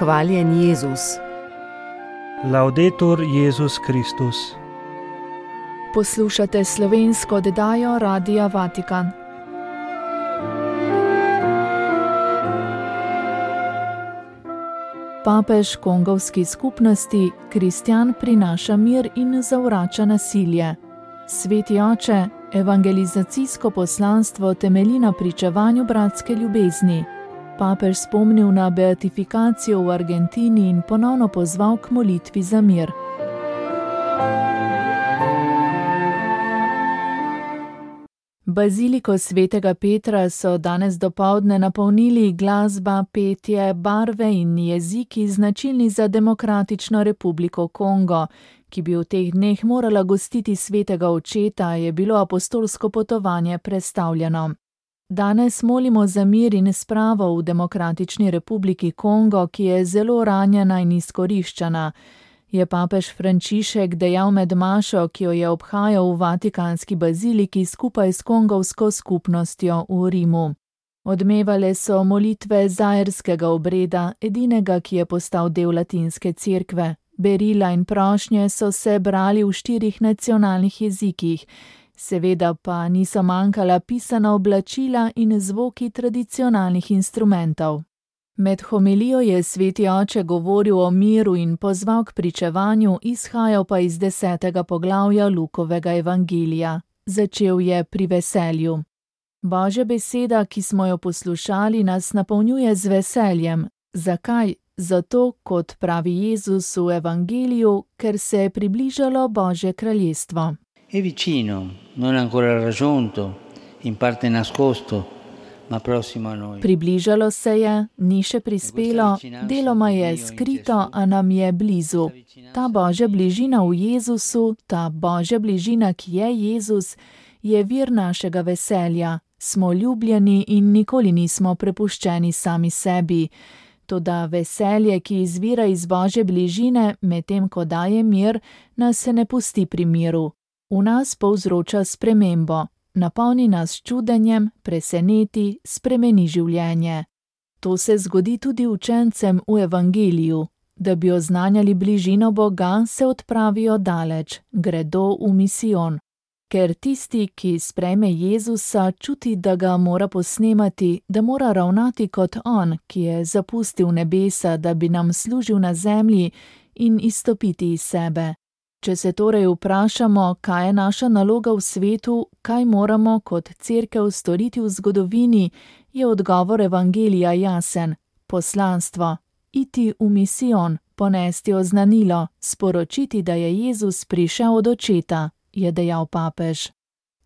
Hvaljen Jezus. Laudetur Jezus Kristus. Poslušate slovensko oddajo Radia Vatikan. Papež kongovski skupnosti kristjan prinaša mir in zavrača nasilje. Sveti oče, evangelizacijsko poslanstvo temelji na pričevanju bratske ljubezni. Papež spomnil na beatifikacijo v Argentini in ponovno pozval k molitvi za mir. Baziliko svetega Petra so danes dopoldne napolnili glasba, petje, barve in jeziki značilni za Demokratično republiko Kongo, ki bi v teh dneh morala gostiti svetega očeta, je bilo apostolsko potovanje prestavljeno. Danes molimo za mir in spravo v Demokratični republiki Kongo, ki je zelo ranjena in izkoriščana, je papež Frančišek dejal med mašo, ki jo je obhajal v Vatikanski baziliki skupaj s kongovsko skupnostjo v Rimu. Odmevale so molitve zairskega obreda, edinega, ki je postal del latinske cerkve. Berila in prošnje so se brali v 4 nacionalnih jezikih, seveda pa niso manjkala pisana oblačila in zvoki tradicionalnih instrumentov. Med homilijo je sveti oče govoril o miru in pozval k pričevanju, izhajal pa iz 10. poglavja Lukovega evangelija. Začel je pri veselju. Božja beseda, ki smo jo poslušali, nas napolnjuje z veseljem. Zakaj? Zato, kot pravi Jezus v evangeliju, ker se je približalo Božje kraljestvo. È vicino, non ancora raggiunto, in parte nascosto, ma prossimo a noi. Približalo se je, ni še prispelo, deloma je skrito, a nam je blizu. Ta Božja bližina v Jezusu, ta Božja bližina, ki je Jezus, je vir našega veselja. Smo ljubljeni in nikoli nismo prepuščeni sami sebi. Toda veselje, ki izvira iz Božje bližine, medtem ko daje mir, nas se ne pusti pri miru. V nas povzroča spremembo, napolni nas s čudenjem, preseneti, spremeni življenje. To se zgodi tudi učencem v evangeliju. Da bi oznanjali bližino Boga, se odpravijo daleč, gredo v misijon. Ker tisti, ki sprejme Jezusa, čuti, da ga mora posnemati, da mora ravnati kot on, ki je zapustil nebesa, da bi nam služil na zemlji in izstopiti iz sebe. Če se torej vprašamo, kaj je naša naloga v svetu, kaj moramo kot cerkev storiti v zgodovini, je odgovor evangelija jasen. Poslanstvo. Iti v misijon, ponesti oznanilo, sporočiti, da je Jezus prišel od očeta, je dejal papež.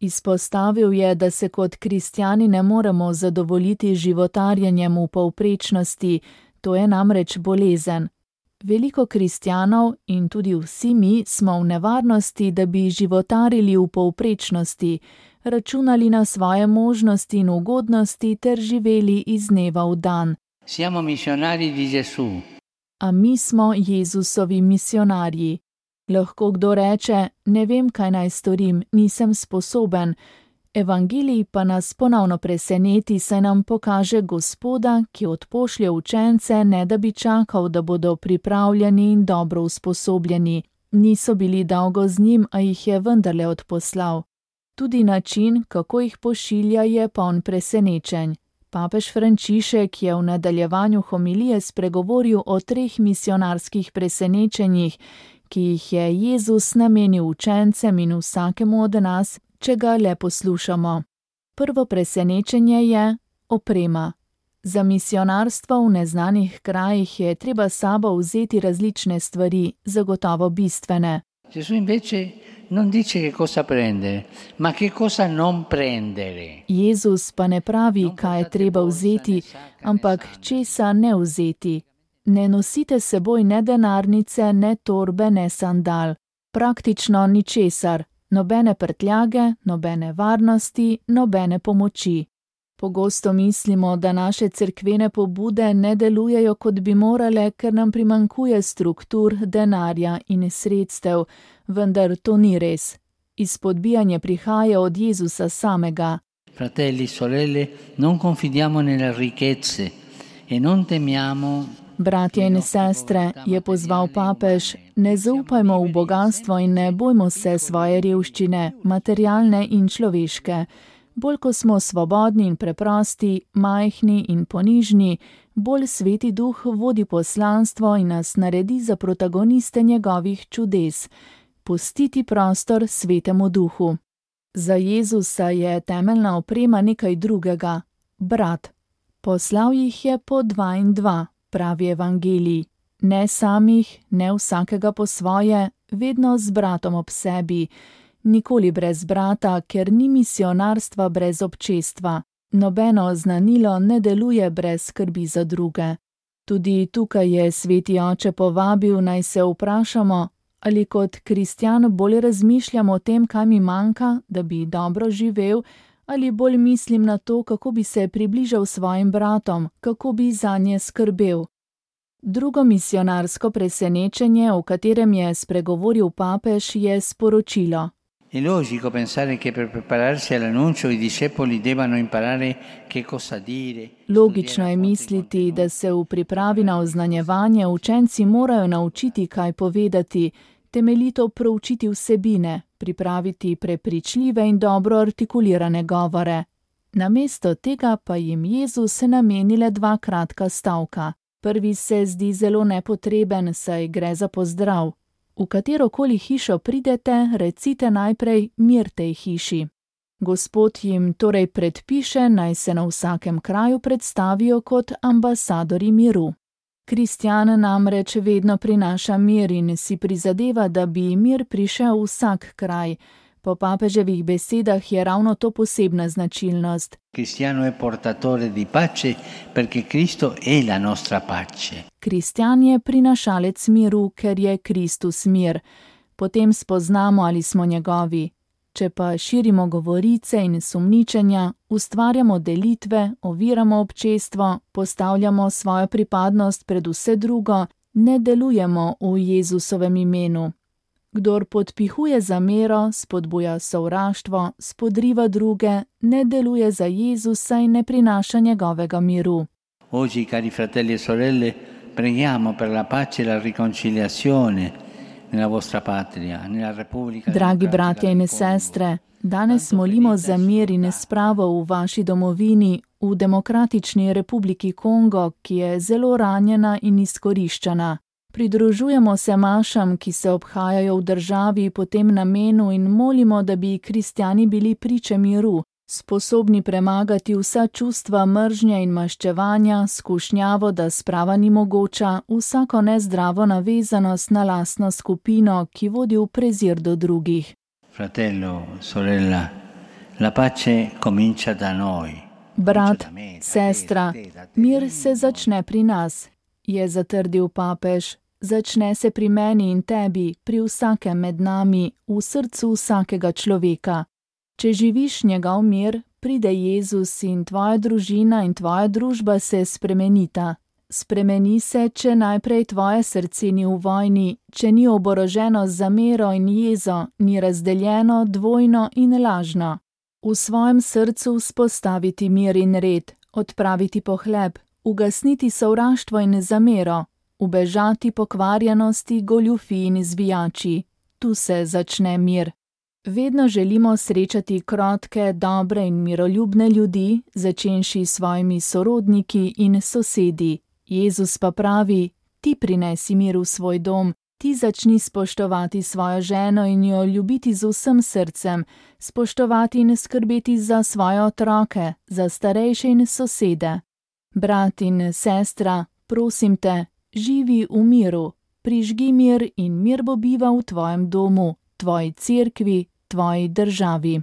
Izpostavil je, da se kot kristjani ne moremo zadovoljiti životarjenjem v povprečnosti, to je namreč bolezen. Veliko kristjanov in tudi vsi mi smo v nevarnosti, da bi životarili v povprečnosti, računali na svoje možnosti in ugodnosti ter živeli iz dneva v dan. Siamo missionari di Gesù. A mi smo Jezusovi misionarji. Lahko kdo reče, ne vem, kaj naj storim, nisem sposoben. Evangelij pa nas ponovno preseneti, saj nam pokaže Gospoda, ki odpošlje učence, ne da bi čakal, da bodo pripravljeni in dobro usposobljeni. Niso bili dolgo z njim, a jih je vendarle odposlal. Tudi način, kako jih pošilja, je poln presenečenj. Papež Frančišek je v nadaljevanju homilije spregovoril o 3 misionarskih presenečenjih, ki jih je Jezus namenil učencem in vsakemu od nas, če ga le poslušamo. Prvo presenečenje je oprema. Za misionarstvo v neznanih krajih je treba s sabo vzeti različne stvari, zagotovo bistvene. Gesù invece non dice che cosa prendere, ma che cosa non prendere. Jezus pa ne pravi, kaj je treba vzeti, ampak česa ne vzeti. Ne nosite seboj ne denarnice, ne torbe, ne sandal. Praktično ničesar. Nobene prtljage, nobene varnosti, nobene pomoči. Pogosto mislimo, da naše cerkvene pobude ne delujejo, kot bi morale, ker nam primanjkuje struktur, denarja in sredstev, vendar to ni res. Izpodbijanje prihaja od Jezusa samega. Fratelli, sorelle, non confidiamo nelle ricchezze e non temiamo Bratje in sestre, je pozval papež, ne zaupajmo v bogatstvo in ne bojmo se svoje revščine, materialne in človeške. Bolj ko smo svobodni in preprosti, majhni in ponižni, bolj Sveti Duh vodi poslanstvo in nas naredi za protagoniste njegovih čudes. Pustiti prostor Svetemu Duhu. Za Jezusa je temeljna oprema nekaj drugega, brat. Poslal jih je po 2 in 2, pravi evangelij. Ne samih, ne vsakega po svoje, vedno z bratom ob sebi. Nikoli brez brata, ker ni misionarstva brez občestva. Nobeno oznanilo ne deluje brez skrbi za druge. Tudi tukaj je Sveti Oče povabil, naj se vprašamo, ali kot kristjan bolj razmišljam o tem, kaj mi manjka, da bi dobro živel, ali bolj mislim na to, kako bi se približal svojim bratom, kako bi zanje skrbel. Drugo misionarsko presenečenje, o katerem je spregovoril papež, je sporočilo. È logico pensare che per prepararsi all'annuncio i discepoli debbano imparare che cosa dire. Logično je misliti, da se v pripravi na oznanjevanje učenci morajo naučiti, kaj povedati, temeljito proučiti vsebine, pripraviti prepričljive in dobro artikulirane govore. Namesto tega pa jim Jezus nameni le 2 kratka stavka. Prvi se zdi zelo nepotreben, saj gre za pozdrav. V katerokoli hišo pridete, recite najprej mir tej hiši. Gospod jim torej predpiše, naj se na vsakem kraju predstavijo kot ambasadorji miru. Kristjan namreč vedno prinaša mir in si prizadeva, da bi mir prišel v vsak kraj. Po papeževih besedah je ravno to posebna značilnost. Cristiano è portatore di pace perché Cristo è la nostra pace. Kristjan je prinašalec miru, ker je Kristus mir. Potem spoznamo, ali smo njegovi. Če pa širimo govorice in sumničenja, ustvarjamo delitve, oviramo občestvo, postavljamo svojo pripadnost pred vse drugo, ne delujemo v Jezusovem imenu. Kdor podpihuje zamero, spodbuja sovraštvo, spodriva druge, ne deluje za Jezusa in ne prinaša njegovega miru. Oggi, cari fratelli e sorelle, preghiamo per la pace e la riconciliazione nella vostra patria, nella Repubblica. Dragi bratje in sestre, danes molimo za mir in spravo v vaši domovini, v Demokratični Republiki Kongo, ki je zelo ranjena in izkoriščena. Pridružujemo se mašam, ki se obhajajo v državi po tem namenu in molimo, da bi kristjani bili priče miru, sposobni premagati vsa čustva mržnje in maščevanja, skušnjavo, da sprava ni mogoča, vsako nezdravo navezanost na lastno skupino, ki vodi v prezir do drugih. Fratello, sorella, la pace comincia da noi. Brat, sestra, mir se začne pri nas, je zatrdil papež. Začne se pri meni in tebi, pri vsakem med nami, v srcu vsakega človeka. Če živiš njegov mir, pride Jezus in tvoja družina in tvoja družba se spremenita. Spremeni se, če najprej tvoje srce ni v vojni, če ni oboroženo z zamero in jezo, ni razdeljeno, dvojno in lažno. V svojem srcu vzpostaviti mir in red, odpraviti pohleb, ugasniti sovraštvo in zamero, ubežati pokvarjenosti, goljufi in zvijači. Tu se začne mir. Vedno želimo srečati krotke, dobre in miroljubne ljudi, začenši s svojimi sorodniki in sosedi. Jezus pa pravi, ti prinesi mir v svoj dom, ti začni spoštovati svojo ženo in jo ljubiti z vsem srcem, spoštovati in skrbeti za svoje otroke, za starejše in sosede. Brat in sestra, prosim te, živi v miru, prižgi mir in mir bo bival v tvojem domu, tvoji cerkvi, tvoji državi.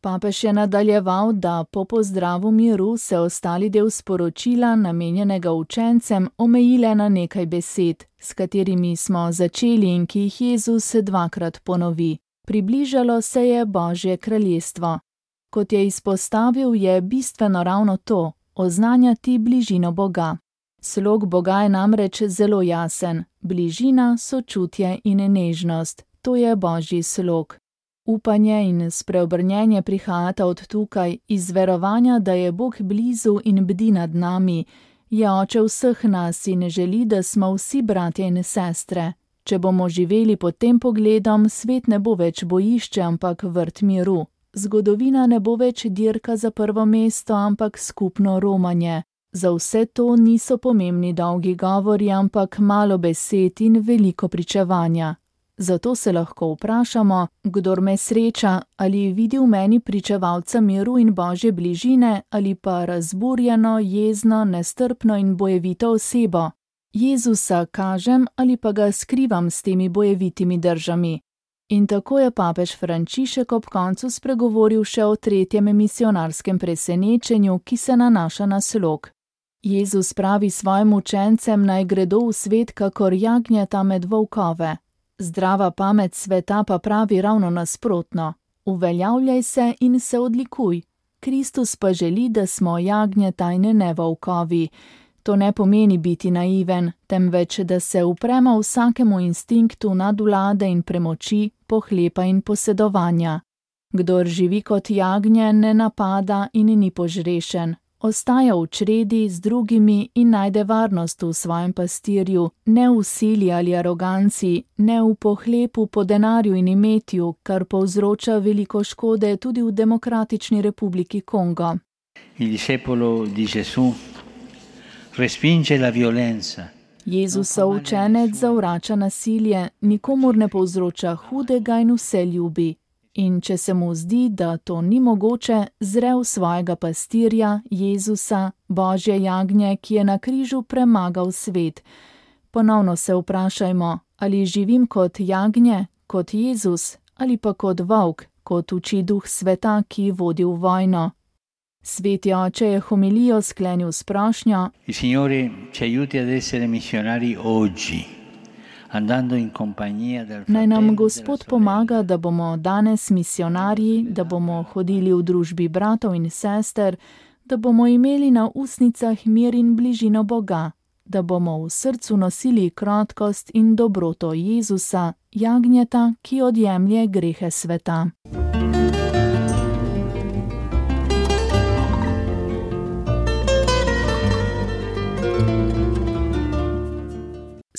Papež je nadaljeval, da po pozdravu miru se ostali del sporočila, namenjenega učencem, omejile na nekaj besed, s katerimi smo začeli in ki jih Jezus 2-krat ponovi. Približalo se je Božje kraljestvo. Kot je izpostavil, je bistveno ravno to, oznanjati bližino Boga. Slog Boga je namreč zelo jasen, bližina, sočutje in nežnost, to je Božji slog. Upanje in spreobrnjenje prihajata od tukaj, iz verovanja, da je Bog blizu in bdi nad nami, Je oče vseh nas in želi, da smo vsi bratje in sestre. Če bomo živeli pod tem pogledom, svet ne bo več bojišče, ampak vrt miru. Zgodovina ne bo več dirka za prvo mesto, ampak skupno romanje. Za vse to niso pomembni dolgi govori, ampak malo besed in veliko pričevanja. Zato se lahko vprašamo, kdor me sreča, ali vidi v meni pričevalca miru in Božje bližine, ali pa razburjeno, jezno, nestrpno in bojevito osebo. Jezusa kažem ali pa ga skrivam s temi bojevitimi držami. In tako je papež Frančišek ob koncu spregovoril še o tretjem misionarskem presenečenju, ki se nanaša na slog. Jezus pravi svojim učencem, naj gredo v svet kakor jagnjeta med volkove. Zdrava pamet sveta pa pravi ravno nasprotno. Uveljavljaj se in se odlikuj. Kristus pa želi, da smo jagnjeta in ne volkovi. To ne pomeni biti naiven, temveč da se upremo vsakemu instinktu nadvlade in premoči, pohlepa in posedovanja. Kdor živi kot jagnje, ne napada in ni požrešen. Ostaja v čredi z drugimi in najde varnost v svojem pastirju, ne v sili ali aroganci, ne v pohlepu po denarju in imetju, kar povzroča veliko škode tudi v Demokratični republiki Kongo. Il discepolo di Gesù respinge la violenza. Jezusov učenec zavrača nasilje, nikomur ne povzroča hudega in vse ljubi. In če se mu zdi, da to ni mogoče, zre v svojega pastirja, Jezusa, Božje jagnje, ki je na križu premagal svet. Ponovno se vprašajmo, ali živim kot jagnje, kot Jezus, ali pa kot volk, kot uči duh sveta, ki vodi v vojno. Sveti oče je homilijo sklenil s prošnjo: Il Signore ci aiuti ad essere missionari oggi. Naj nam Gospod pomaga, da bomo danes misionarji, da bomo hodili v družbi bratov in sester, da bomo imeli na ustnicah mir in bližino Boga, da bomo v srcu nosili krotkost in dobroto Jezusa, jagnjeta, ki odjemlje grehe sveta.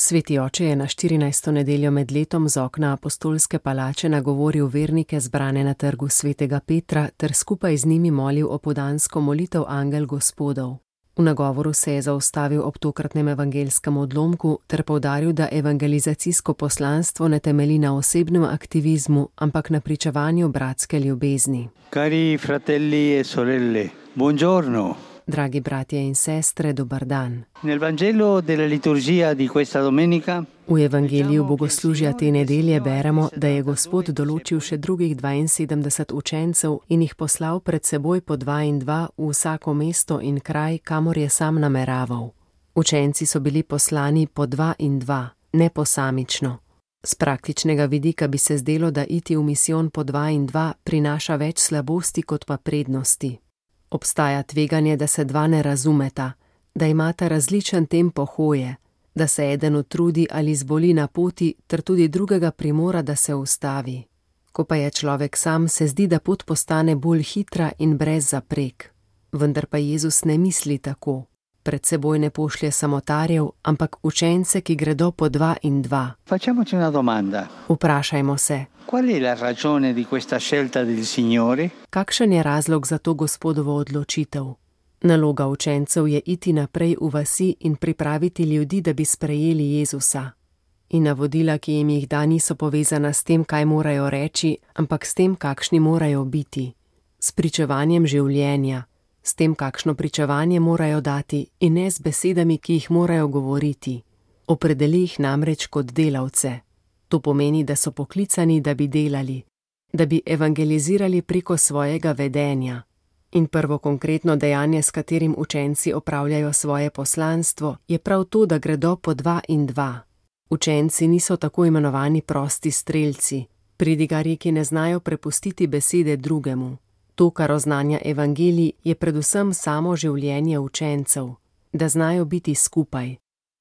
Sveti oče je na 14. nedeljo med letom z okna apostolske palače nagovoril vernike zbrane na trgu svetega Petra ter skupaj z njimi molil opoldansko molitev Angel Gospodov. V nagovoru se je zaustavil ob tokratnem evangelskem odlomku ter poudaril, da evangelizacijsko poslanstvo ne temelji na osebnem aktivizmu, ampak na pričevanju bratske ljubezni. Cari fratelli e sorelle, buongiorno. Dragi bratje in sestre, dober dan. Nel Vangelo della liturgia di questa domenica V evangeliju bogoslužja te nedelje beremo, da je Gospod določil še drugih 72 učencev in jih poslal pred seboj po 2 in 2 v vsako mesto in kraj, kamor je sam nameraval. Učenci so bili poslani po 2 in 2, ne posamično. Z praktičnega vidika bi se zdelo, da iti v misijon po 2 in 2 prinaša več slabosti kot pa prednosti. Obstaja tveganje, da se dva ne razumeta, da imata različen tempo hoje, da se eden utrudi ali zboli na poti, ter tudi drugega primora, da se ustavi. Ko pa je človek sam, se zdi, da pot postane bolj hitra in brez zaprek. Vendar pa Jezus ne misli tako. Pred seboj ne pošlje samotarjev, ampak učence, ki gredo po 2 in 2. Facciamoci una domanda. Vprašajmo se, Qual è la ragione di questa scelta del Signore? kakšen je razlog za to Gospodovo odločitev? Naloga učencev je iti naprej v vasi in pripraviti ljudi, da bi sprejeli Jezusa. In navodila, ki jim jih da, niso povezana s tem, kaj morajo reči, ampak s tem, kakšni morajo biti. S pričevanjem življenja, s tem, kakšno pričevanje morajo dati in ne z besedami, ki jih morajo govoriti. Opredeli jih namreč kot delavce. To pomeni, da so poklicani, da bi delali, da bi evangelizirali preko svojega vedenja. In prvo konkretno dejanje, s katerim učenci opravljajo svoje poslanstvo, je prav to, da gredo po 2 in 2. Učenci niso tako imenovani prosti strelci, pridigarji, ki ne znajo prepustiti besede drugemu. To, kar oznanja evangelij, je predvsem samo življenje učencev, da znajo biti skupaj,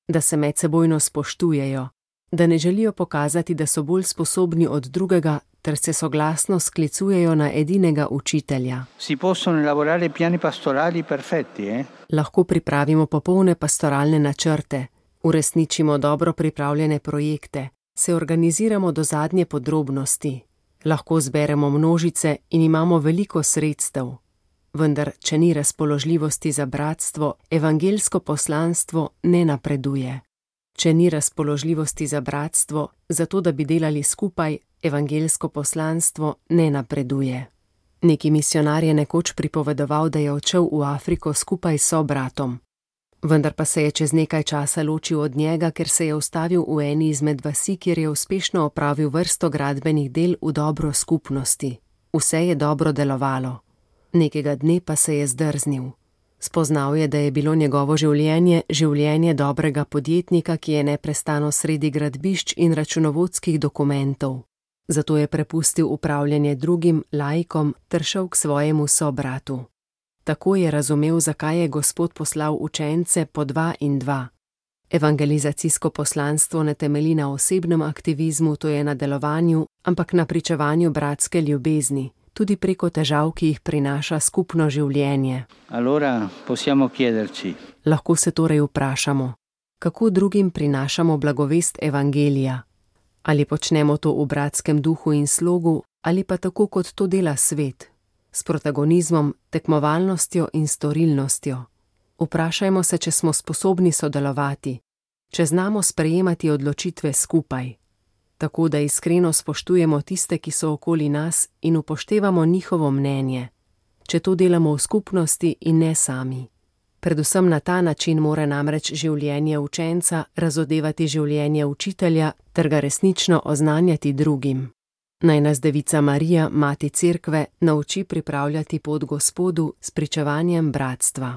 da se medsebojno spoštujejo, da ne želijo pokazati, da so bolj sposobni od drugega, ter se soglasno sklicujejo na edinega učitelja. Si possono elaborare piani pastorali perfetti, Lahko pripravimo popolne pastoralne načrte, uresničimo dobro pripravljene projekte, se organiziramo do zadnje podrobnosti, lahko zberemo množice in imamo veliko sredstev. Vendar, če ni razpoložljivosti za bratstvo, evangeljsko poslanstvo ne napreduje. Če ni razpoložljivosti za bratstvo, zato da bi delali skupaj, evangeljsko poslanstvo ne napreduje. Neki misionar je nekoč pripovedoval, da je odšel v Afriko skupaj s sobratom. Vendar pa se je čez nekaj časa ločil od njega, ker se je ustavil v eni izmed vasi, kjer je uspešno opravil vrsto gradbenih del v dobro skupnosti. Vse je dobro delovalo. Nekega dne pa se je zdrznil. Spoznal je, da je bilo njegovo življenje življenje dobrega podjetnika, ki je neprestano sredi gradbišč in računovodskih dokumentov. Zato je prepustil upravljanje drugim, laikom, ter šel k svojemu sobratu. Tako je razumel, zakaj je Gospod poslal učence po 2 in 2. Evangelizacijsko poslanstvo ne temelji na osebnem aktivizmu, to je na delovanju, ampak na pričevanju bratske ljubezni, tudi preko težav, ki jih prinaša skupno življenje. Allora possiamo chiederci. Lahko se torej vprašamo, kako drugim prinašamo blagovest evangelija? Ali počnemo to v bratskem duhu in slogu, ali pa tako, kot to dela svet, s protagonizmom, tekmovalnostjo in storilnostjo. Vprašajmo se, če smo sposobni sodelovati, če znamo sprejemati odločitve skupaj, tako da iskreno spoštujemo tiste, ki so okoli nas, in upoštevamo njihovo mnenje, če to delamo v skupnosti in ne sami. Predvsem na ta način mora namreč življenje učenca razodevati življenje učitelja ter ga resnično oznanjati drugim. Naj nas Devica Marija, Mati Cerkve, nauči pripravljati pot Gospodu s pričevanjem bratstva.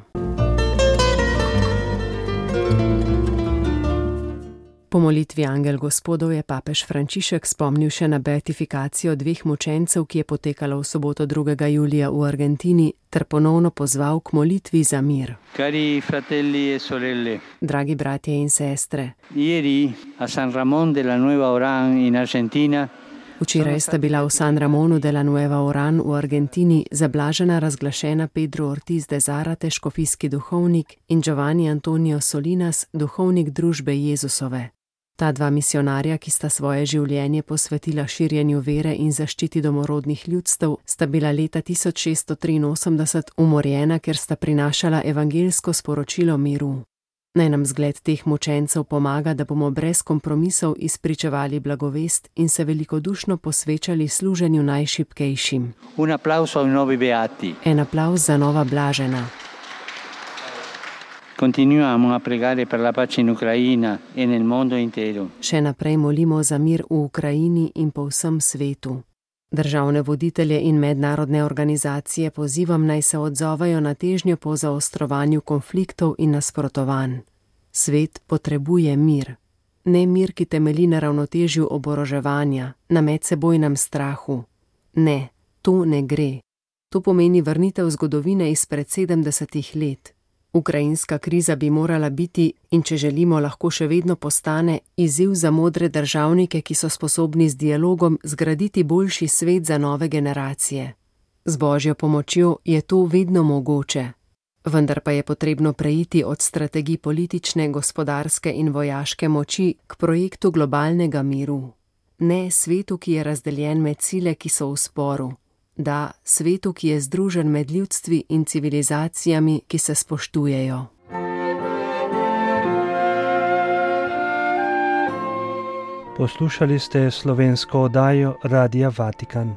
Po molitvi Angel Gospodov je papež Frančišek spomnil še na beatifikacijo 2 mučencev, ki je potekala v soboto 2. julija v Argentini, ter ponovno pozval k molitvi za mir. Cari fratelli e sorelle. Dragi bratje in sestre. Ieri a San Ramón de la Nueva Orán in Argentina. Včeraj sta bila v San Ramonu de la Nueva Orán v Argentini zablažena razglašena Pedro Ortiz de Zárate, škofijski duhovnik, in Giovanni Antonio Solinas, duhovnik družbe Jezusove. Ta 2 misionarja, ki sta svoje življenje posvetila širjenju vere in zaščiti domorodnih ljudstev, sta bila leta 1683 umorjena, ker sta prinašala evangeljsko sporočilo miru. Naj nam zgled teh mučencev pomaga, da bomo brez kompromisov izpričevali blagovest in se velikodušno posvečali služenju najšibkejšim. Un applauso ai nuovi beati. En aplavz za nova blažena. Continuiamo a pregare per la pace in Ucraina e nel mondo intero. Še naprej molimo za mir v Ukrajini in po vsem svetu. Državne voditelje in mednarodne organizacije pozivam, naj se odzovejo na težnjo po zaostrovanju konfliktov in nasprotovanj. Svet potrebuje mir. Ne mir, ki temelji na ravnotežju oboroževanja, na medsebojnem strahu. Ne, to ne gre. To pomeni vrnitev zgodovine izpred 70 let. Ukrajinska kriza bi morala biti, in če želimo, lahko še vedno postane, izziv za modre državnike, ki so sposobni z dialogom zgraditi boljši svet za nove generacije. Z Božjo pomočjo je to vedno mogoče. Vendar pa je potrebno preiti od strategij politične, gospodarske in vojaške moči k projektu globalnega miru. Ne svetu, ki je razdeljen med sile, ki so v sporu. Da, svetu, ki je združen med ljudstvi in civilizacijami, ki se spoštujejo. Poslušali ste slovensko oddajo Radia Vatikan.